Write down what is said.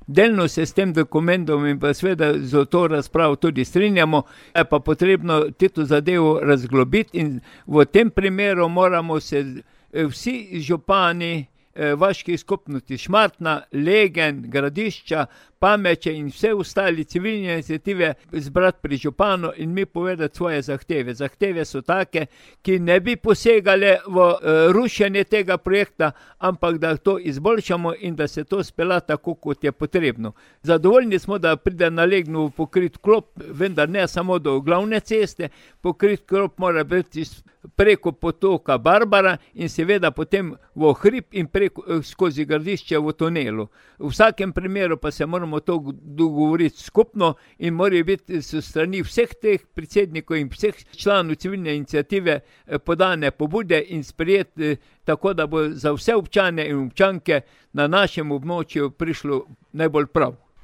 Delno se s tem dokumentom in pa seveda z to razpravo tudi strinjamo, je pa potrebno to zadevo razglobiti in v tem primeru moramo se vsi župani vaških skupnosti Šmartna, Legen, Gradišča, Pameče in vse ostali civilne iniciative zbrati pri županu in mi povedati svoje zahteve. Zahteve so take, ki ne bi posegale v rušenje tega projekta, ampak da to izboljšamo in da se to spela tako, kot je potrebno. Zadovoljni smo, da pride na Legnu pokrit klop, vendar ne samo do glavne ceste, pokrit klop mora biti preko potoka Barbara in seveda potem v hrib in skozi Gradišče v tunelu. V vsakem primeru pa se moramo to dogovoriti skupno in morajo biti s strani vseh teh predsednikov in vseh članov civilne iniciative podane pobude in sprejeti tako, da bo za vse občane in občanke na našem območju prišlo najbolj prav.